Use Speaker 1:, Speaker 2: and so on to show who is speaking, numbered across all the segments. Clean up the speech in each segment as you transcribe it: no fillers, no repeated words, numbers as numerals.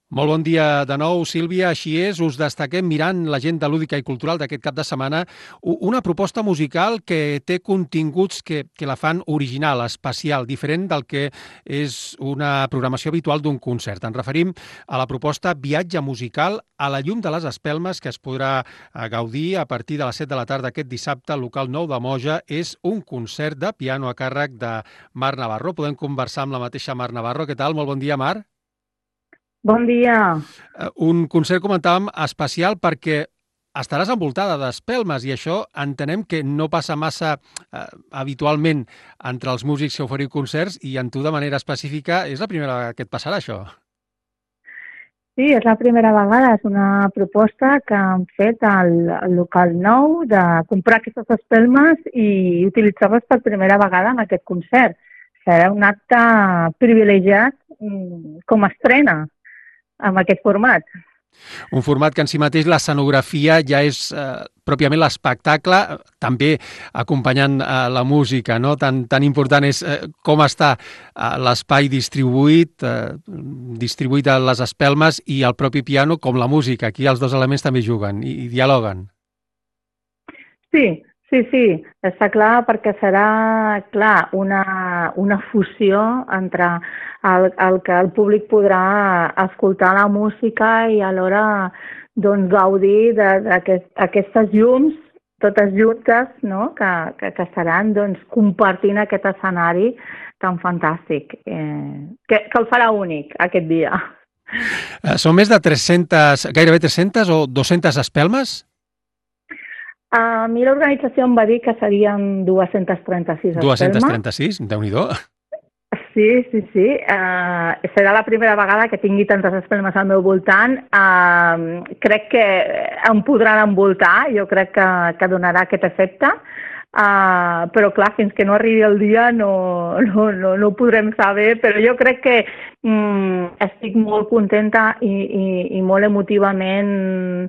Speaker 1: Molt bon dia de nou, Sílvia. Així és, us destaquem mirant l'agenda lúdica i cultural d'aquest cap de setmana una proposta musical que té continguts que la fan original, especial, diferent del que és una programació habitual d'un concert. Ens referim a la proposta Viatge musical a la llum de les espelmes, que es podrà gaudir a partir de les 7 de la tarda aquest dissabte al local 9 de Moja. És un concert de piano a càrrec de Mar Navarro. Podem conversar amb la mateixa Mar Navarro. Què tal? Molt bon dia, Mar.
Speaker 2: Bon dia.
Speaker 1: Un concert, comentàvem, especial perquè estaràs envoltada d'espelmes i això entenem que no passa massa habitualment entre els músics que oferiu concerts i en tu de manera específica és la primera vegada que et passarà això.
Speaker 2: Sí, és la primera vegada. És una proposta que han fet al local nou de comprar aquestes espelmes i utilitzar-les per primera vegada en aquest concert. Serà un acte privilegiat com a estrena amb aquest format.
Speaker 1: Un format que en si mateix l'escenografia ja és pròpiament l'espectacle, també acompanyant la música, no? Tan important és com està l'espai distribuït a les espelmes i el propi piano com la música. Aquí els dos elements també juguen i dialoguen.
Speaker 2: Sí, sí, està clar perquè serà, clar, una fusió entre el que el públic podrà escoltar la música i alhora doncs, gaudir d'aquestes llums totes juntes, no? que estaran doncs, compartint aquest escenari tan fantàstic, que el farà únic aquest dia.
Speaker 1: Són més de 300, gairebé 300 o 200 espelmes?
Speaker 2: A mi l'organització em va dir que serien 236 espelmes.
Speaker 1: 236? Déu-n'hi-do.
Speaker 2: Sí. Serà la primera vegada que tingui tantes espelmes al meu voltant. Crec que em podran envoltar, jo crec que donarà aquest efecte. Però clar, fins que no arribi el dia no ho podrem saber, però jo crec que estic molt contenta i molt emotivament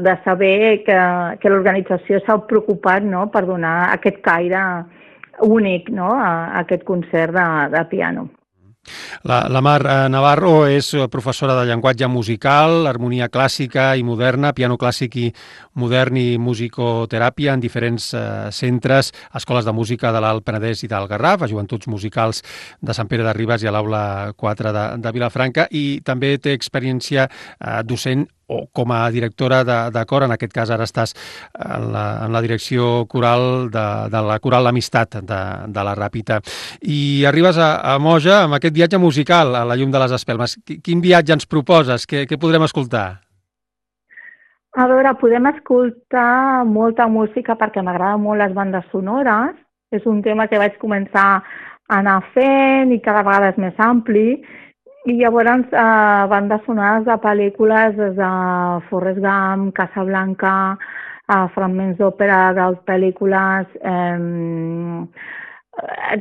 Speaker 2: de saber que l'organització s'ha preocupat, no?, per donar aquest caire únic, no?, a aquest concert de piano.
Speaker 1: La Mar Navarro és professora de llenguatge musical, harmonia clàssica i moderna, piano clàssic i modern i musicoteràpia en diferents centres, escoles de música de l'Alt Penedès i del Garraf, a Joventuts Musicals de Sant Pere de Ribes i a l'Aula 4 de Vilafranca, i també té experiència docent o com a directora de cor, en aquest cas ara estàs en la direcció coral de la Coral L'Amistat de la Ràpita. I arribes a Moja amb aquest viatge musical a la llum de les espelmes. Quin viatge ens proposes? Què podrem escoltar?
Speaker 2: A veure, podem escoltar molta música perquè m'agraden molt les bandes sonores. És un tema que vaig començar a anar fent i cada vegada és més ampli. I llavors bandes sonores de pel·lícules des de Forrest Gump, Casablanca, fragments d'òpera de pel·lícules,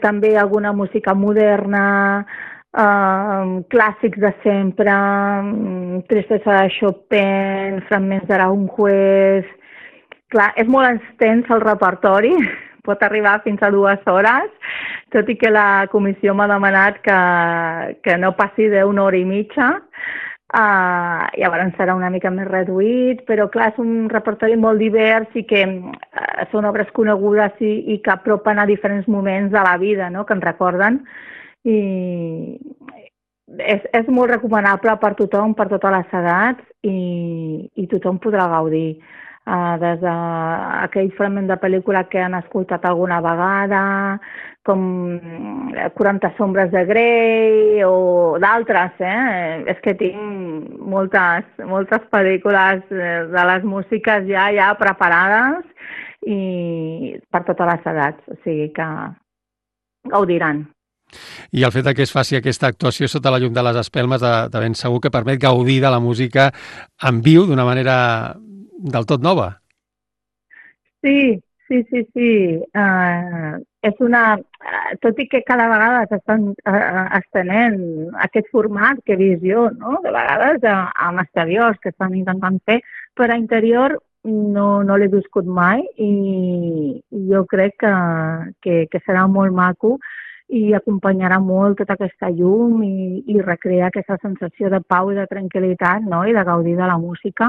Speaker 2: també alguna música moderna, clàssics de sempre, Tristesa de Chopin, fragments d'Aranjuez. Clar, és molt extens el repertori, pot arribar fins a 2 hores, tot i que la comissió m'ha demanat que no passi d'una hora i mitja. Llavors serà una mica més reduït, però clar, és un repertori molt divers i que són obres conegudes i que apropen a diferents moments de la vida, no?, que ens recorden. I és molt recomanable per tothom, per totes les edats, i tothom podrà gaudir. Des d'aquell fragment de pel·lícula que han escoltat alguna vegada, com 40 sombres de Grey o d'altres, És que tinc moltes pel·lícules de les músiques ja preparades i per totes les edats, o sigui que gaudiran.
Speaker 1: I el fet que es faci aquesta actuació sota la llum de les espelmes de ben segur que permet gaudir de la música en viu d'una manera del tot nova.
Speaker 2: Sí. Tot i que cada vegada s'estan estenent aquest format que he vist jo, no?, de vegades amb exteriors que estan intentant fer, però a interior no l'he viscut mai i jo crec que serà molt maco i acompanyarà molt tota aquesta llum i recrear aquesta sensació de pau i de tranquil·litat, no? I de gaudir de la música.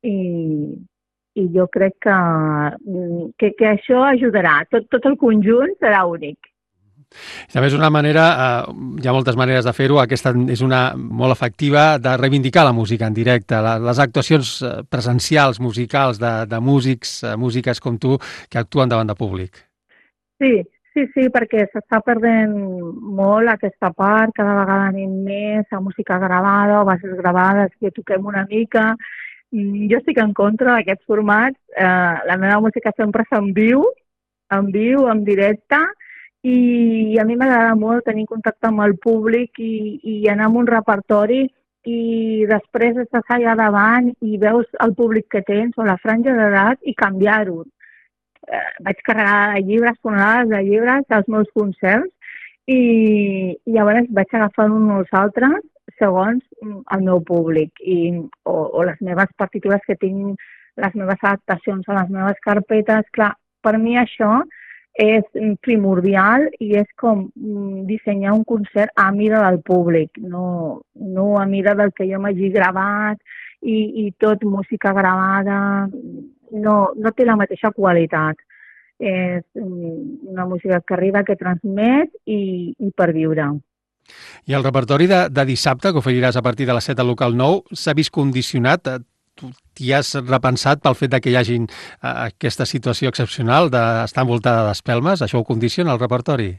Speaker 2: I jo crec que això ajudarà. Tot el conjunt serà únic.
Speaker 1: També és una manera, hi ha moltes maneres de fer-ho, aquesta és una molt efectiva, de reivindicar la música en directe, les actuacions presencials, musicals, de músics, músiques com tu, que actuen davant de públic.
Speaker 2: Sí, perquè s'està perdent molt aquesta part, cada vegada anem més a música gravada o bases gravades, que toquem una mica. Jo estic en contra d'aquests formats, la meva música sempre és en viu, en directe, i a mi m'agrada molt tenir contacte amb el públic i anar amb un repertori i després estàs allà davant i veus el públic que tens o la franja d'edat i canviar-ho. Vaig carregar de llibres, tonelades de llibres als meus concerts i llavors vaig agafant uns als altres segons el meu públic o les meves partitures que tinc, les meves adaptacions a les meves carpetes. Clar, per mi això és primordial i és com dissenyar un concert a mida del públic, no a mida del que jo m'hagi gravat i tot música gravada, no té la mateixa qualitat. És una música que arriba, que transmet i per viure.
Speaker 1: I el repertori de dissabte, que oferiràs a partir de les 7 al local 9, s'ha vist condicionat? Tu t'hi has repensat pel fet que hi hagi aquesta situació excepcional d'estar envoltada d'espelmes? Això ho condiciona el repertori?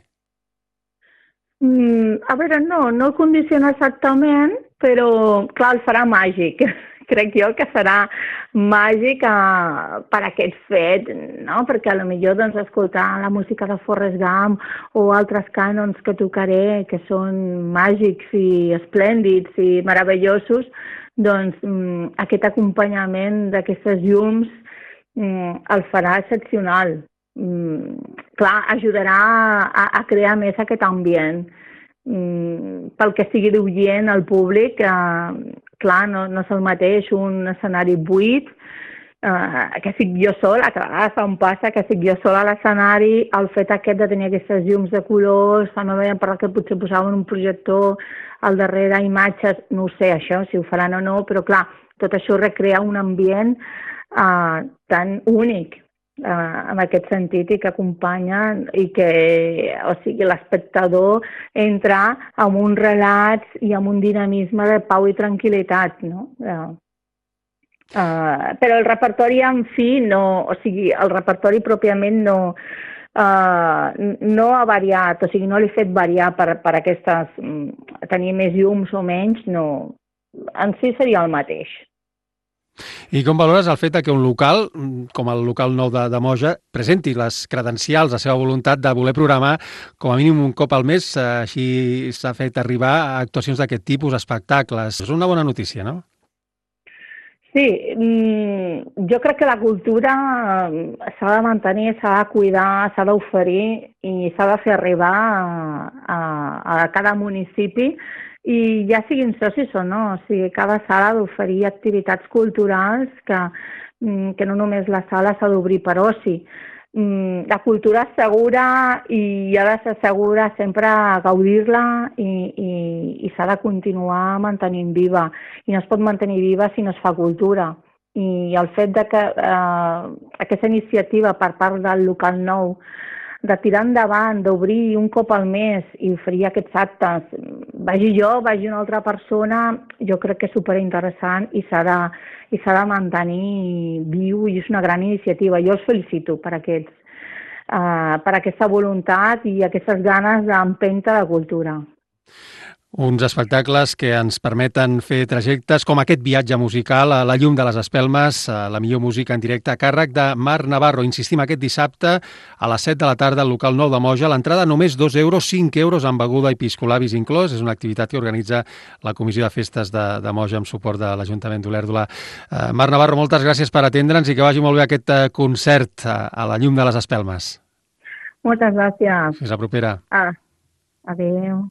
Speaker 2: A veure, no el condiciona exactament, però clar, el farà màgic. Crec jo que serà màgic per aquest fet, no? Perquè potser doncs, escoltar la música de Forrest Gump o altres cànons que tocaré, que són màgics i esplèndids i meravellosos, doncs aquest acompanyament d'aquestes llums el farà excepcional. Clar, ajudarà a crear més aquest ambient. Pel que sigui d'oient al públic, clar, no és el mateix un escenari buit, que estic jo sola, que a vegades em passa que estic jo sola a l'escenari, el fet aquest de tenir aquestes llums de colors, també veiem per que potser posaven un projector al darrere, imatges, no ho sé això, si ho faran o no, però clar, tot això recrea un ambient tan únic en aquest sentit i que acompanya i que, o sigui, l'espectador entra amb un relat i amb un dinamisme de pau i tranquil·litat, no? Però el repertori en fi, o sigui, el repertori pròpiament no ha variat, o sigui, no l'he fet variar per aquestes, tenir més llums o menys, no, en si seria el mateix.
Speaker 1: I com valores el fet que un local, com el local 9 de Moja, presenti les credencials, la seva voluntat de voler programar com a mínim un cop al mes, així s'ha fet arribar a actuacions d'aquest tipus, espectacles. És una bona notícia, no?
Speaker 2: Sí, jo crec que la cultura s'ha de mantenir, s'ha de cuidar, s'ha d'oferir i s'ha de fer arribar a cada municipi i ja siguin socis o no, o sigui, cada sala ha d'oferir activitats culturals que no només la sala s'ha d'obrir per oci. La cultura és segura i ha de ser segura sempre gaudir-la i s'ha de continuar mantenint viva. I no es pot mantenir viva si no es fa cultura. I el fet que aquesta iniciativa per part del local 9 de tirar endavant, d'obrir un cop al mes i oferir aquests actes, vagi jo, vagi una altra persona, jo crec que és superinteressant i s'ha de mantenir viu i és una gran iniciativa. Jo els felicito per aquesta voluntat i aquestes ganes d'empenta de cultura.
Speaker 1: Uns espectacles que ens permeten fer trajectes com aquest viatge musical a la llum de les espelmes, la millor música en directe a càrrec de Marc Navarro. Insistim, aquest dissabte a les 7 de la tarda al local 9 de Moja. L'entrada només 2 euros, 5 euros amb beguda i piscolabis inclòs. És una activitat que organitza la Comissió de Festes de Moja amb suport de l'Ajuntament d'Olèrdola. Marc Navarro, moltes gràcies per atendre'ns i que vagi molt bé aquest concert a la llum de les espelmes.
Speaker 2: Moltes gràcies.
Speaker 1: Fins la propera.
Speaker 2: Adéu.